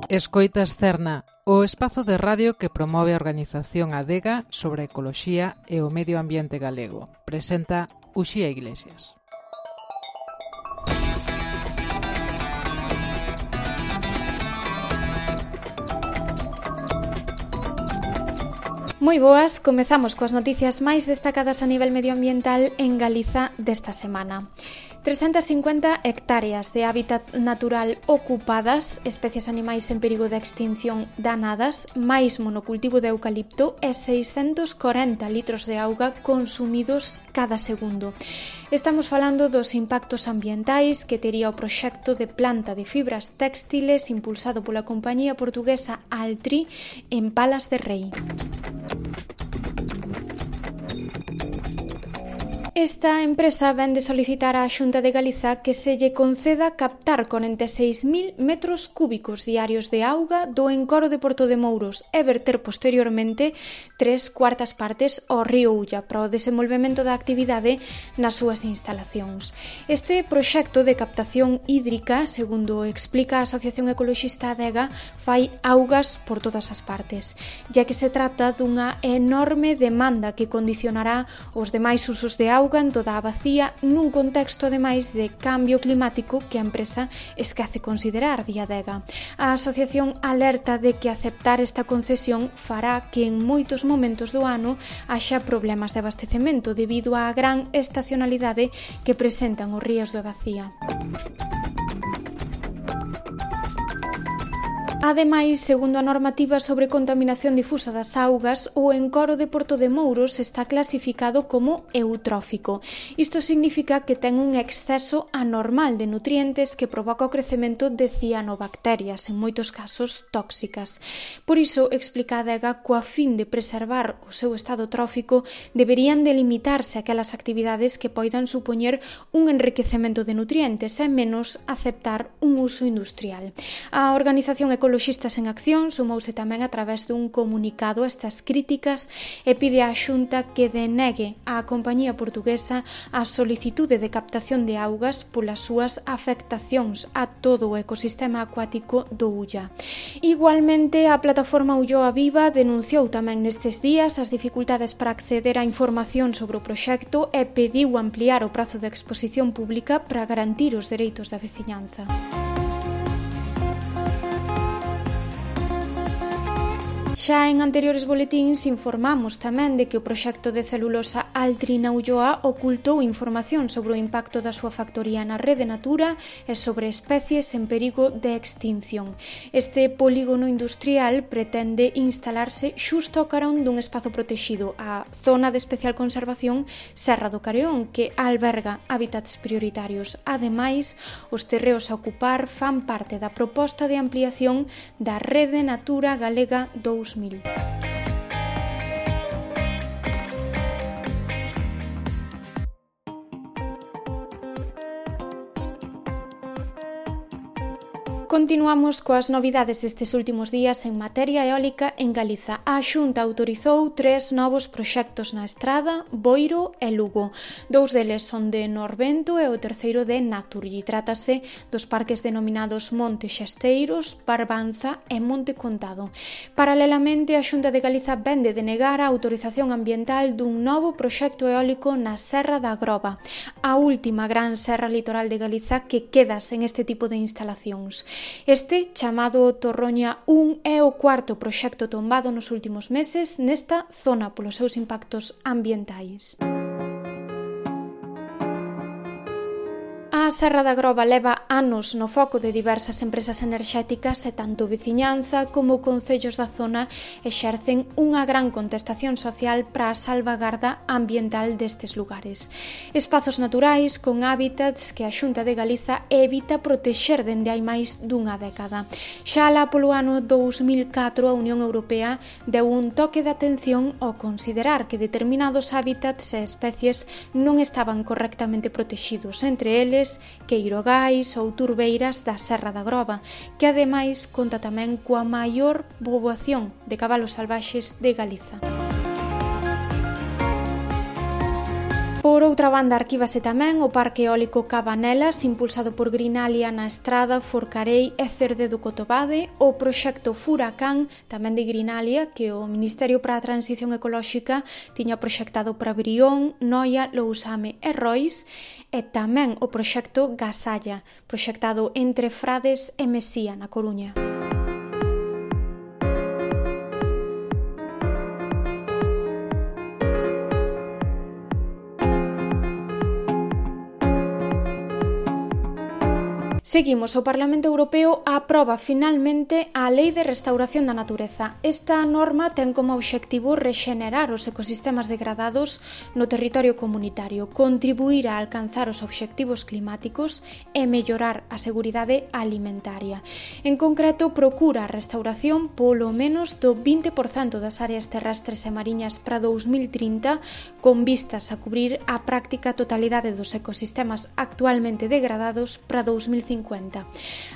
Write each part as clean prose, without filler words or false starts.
Escoitas Cerna, o espazo de radio que promove a organización Adega sobre a ecoloxía e o medio ambiente galego. Presenta Uxía Iglesias. Moi boas, comezamos coas noticias máis destacadas a nivel medioambiental en Galiza desta semana. 350 hectáreas de hábitat natural ocupadas, especies animais en perigo de extinción danadas, máis monocultivo de eucalipto e 640 litros de auga consumidos cada segundo. Estamos falando dos impactos ambientais que tería o proxecto de planta de fibras téxtiles impulsado pola compañía portuguesa Altri en Palas de Rei. Esta empresa vén de solicitar á Xunta de Galiza que se lle conceda captar 46.000 metros cúbicos diarios de auga do encoro de Porto de Mouros e verter posteriormente 3/4 partes ao río Ulla para o desenvolvemento da actividade nas súas instalacións. Este proxecto de captación hídrica, segundo explica a Asociación Ecoloxista Adega, fai augas por todas as partes, ya que se trata dunha enorme demanda que condicionará os demais usos de auga en toda a bacía nun contexto ademais de cambio climático que a empresa esquece considerar, di Adega. A asociación alerta de que aceptar esta concesión fará que en moitos momentos do ano haxa problemas de abastecemento debido á gran estacionalidade que presentan os ríos da bacía. Ademais, segundo a normativa sobre contaminación difusa das augas, o encoro de Porto de Mouros está clasificado como eutrófico. Isto significa que ten un exceso anormal de nutrientes que provoca o crecemento de cianobacterias, en moitos casos tóxicas. Por iso, explica a Adega, coa fin de preservar o seu estado trófico, deberían delimitarse aquelas actividades que poidan supoñer un enriquecemento de nutrientes e menos aceptar un uso industrial. A Organización Ecoloxistas en Acción sumouse tamén a través dun comunicado a estas críticas e pide á Xunta que denegue á compañía portuguesa a solicitude de captación de augas polas súas afectacións a todo o ecosistema acuático do Ulla. Igualmente, a plataforma Ulloa Viva denunciou tamén nestes días as dificultades para acceder á información sobre o proxecto e pediu ampliar o prazo de exposición pública para garantir os dereitos da veciñanza. Xa en anteriores boletíns informamos tamén de que o proxecto de celulosa Altri na Ulloa ocultou información sobre o impacto da súa factoría na rede Natura e sobre especies en perigo de extinción. Este polígono industrial pretende instalarse xusto ao carón dun espazo protexido, a Zona de Especial Conservación Serra do Careón, que alberga hábitats prioritarios. Ademais, os terreos a ocupar fan parte da proposta de ampliación da Rede Natura Galega 2000. Continuamos coas novidades destes últimos días en materia eólica en Galiza. A Xunta autorizou 3 novos proxectos na Estrada, Boiro e Lugo. 2 deles son de Norvento e o terceiro de Naturgy. Trátase dos parques denominados Monte Xesteiros, Barbanza e Monte Contado. Paralelamente, a Xunta de Galiza vende denegar a autorización ambiental dun novo proxecto eólico na Serra da Groba, a última gran serra litoral de Galiza que queda sen este tipo de instalacións. Este, chamado Torroña 1, é o cuarto proxecto tombado nos últimos meses nesta zona polos seus impactos ambientais. A Serra da Groba leva anos no foco de diversas empresas enerxéticas e tanto veciñanza como concellos da zona exercen unha gran contestación social para a salvagarda ambiental destes lugares. Espazos naturais con hábitats que a Xunta de Galiza evita protexer dende hai máis dunha década. Xa lá polo ano 2004 a Unión Europea deu un toque de atención ao considerar que determinados hábitats e especies non estaban correctamente protexidos, entre eles queirogais ou turbeiras da Serra da Groba, que ademais conta tamén coa maior poboación de cabalos salvaxes de Galiza. Por outra banda, arquívase tamén o Parque Eólico Cabanelas, impulsado por Grinalia na Estrada, Forcarei e Cerde do Cotobade, o proxecto Furacán, tamén de Grinalia, que o Ministerio para a Transición Ecolóxica tiña proxectado para Brión, Noia, Lousame e Rois, e tamén o proxecto Gasalla, proxectado entre Frades e Mesía, na Coruña. Seguimos, o Parlamento Europeo aproba finalmente a Lei de Restauración da Natureza. Esta norma ten como obxectivo rexenerar os ecosistemas degradados no territorio comunitario, contribuir a alcanzar os obxectivos climáticos e mellorar a seguridade alimentaria. En concreto, procura a restauración polo menos do 20% das áreas terrestres e mariñas para 2030, con vistas a cubrir a práctica totalidade dos ecosistemas actualmente degradados para 2050.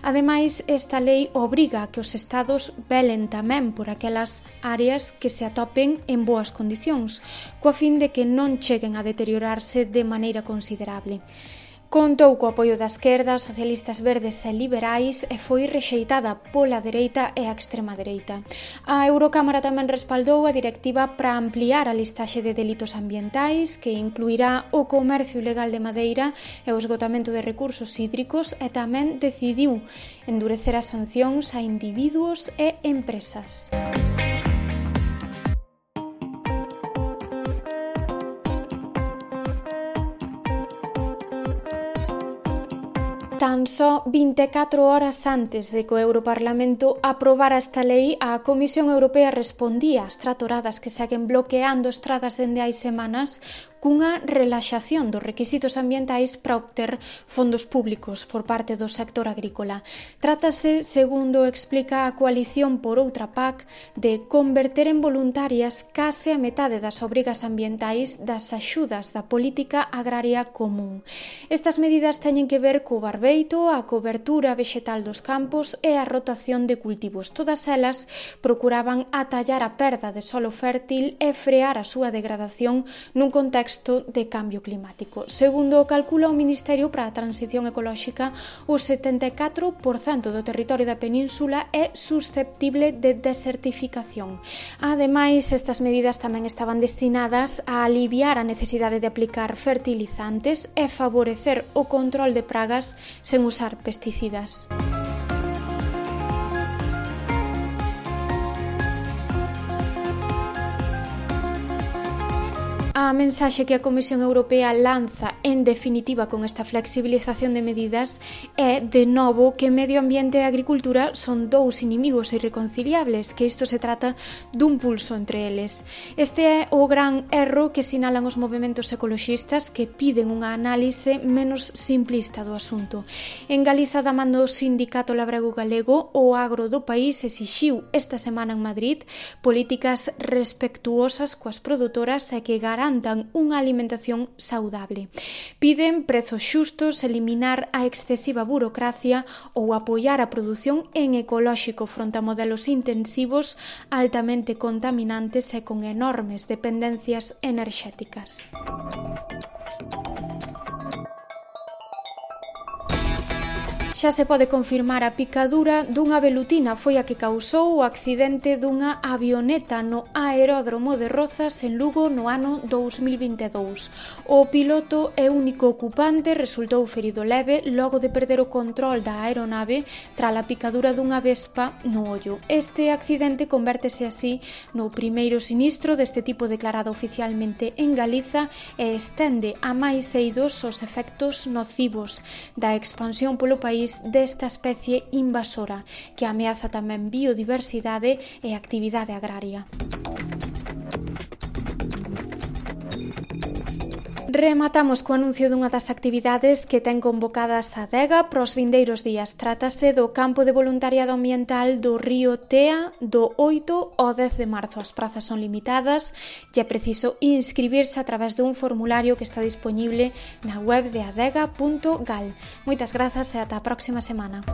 Ademais, esta lei obriga a que os estados velen tamén por aquelas áreas que se atopen en boas condicións, coa fin de que non cheguen a deteriorarse de maneira considerable. Contou co apoio da esquerda, socialistas verdes e liberais e foi rexeitada pola dereita e a extrema dereita. A Eurocámara tamén respaldou a directiva para ampliar a listaxe de delitos ambientais, que incluirá o comercio ilegal de madeira e o esgotamento de recursos hídricos, e tamén decidiu endurecer as sancións a individuos e empresas. Tan só 24 horas antes de que o Europarlamento aprobara esta lei, a Comisión Europea respondía ás tratoradas que seguen bloqueando estradas dende hai semanas cunha relaxación dos requisitos ambientais para obter fondos públicos por parte do sector agrícola. Trátase, segundo explica a coalición por outra PAC, de converter en voluntarias case a metade das obrigas ambientais das axudas da política agraria común. Estas medidas teñen que ver co barbeito, a cobertura vexetal dos campos e a rotación de cultivos. Todas elas procuraban atallar a perda de solo fértil e frear a súa degradación nun contexto de cambio climático. Segundo calcula o Ministerio para a Transición Ecolóxica, o 74% do territorio da península é susceptible de desertificación. Ademais, estas medidas tamén estaban destinadas a aliviar a necesidade de aplicar fertilizantes e favorecer o control de pragas sen usar pesticidas. A mensaxe que a Comisión Europea lanza en definitiva con esta flexibilización de medidas é, de novo, que medio ambiente e agricultura son dous inimigos irreconciliables, que isto se trata dun pulso entre eles. Este é o gran erro que sinalan os movementos ecoloxistas, que piden unha análise menos simplista do asunto. En Galiza, da man do Sindicato Labrego Galego, o agro do país exixiu esta semana en Madrid políticas respectuosas coas produtoras e que garantan unha alimentación saudable. Piden prezos xustos, eliminar a excesiva burocracia ou apoiar a produción en ecolóxico fronte a modelos intensivos altamente contaminantes e con enormes dependencias enerxéticas. Xa se pode confirmar a picadura dunha velutina foi a que causou o accidente dunha avioneta no aeródromo de Rozas en Lugo no ano 2022. O piloto e único ocupante resultou ferido leve logo de perder o control da aeronave tras a picadura dunha vespa no ollo. Este accidente convértese así no primeiro sinistro deste tipo declarado oficialmente en Galiza e estende a máis eidos os efectos nocivos da expansión polo país desta especie invasora que ameaza tamén biodiversidade e actividade agraria. Rematamos co anuncio dunha das actividades que ten convocadas a Adega para os vindeiros días. Trátase do campo de voluntariado ambiental do río Tea do 8 ao 10 de marzo. As prazas son limitadas e é preciso inscribirse a través dun formulario que está disponible na web de adega.gal. Moitas grazas e ata a próxima semana.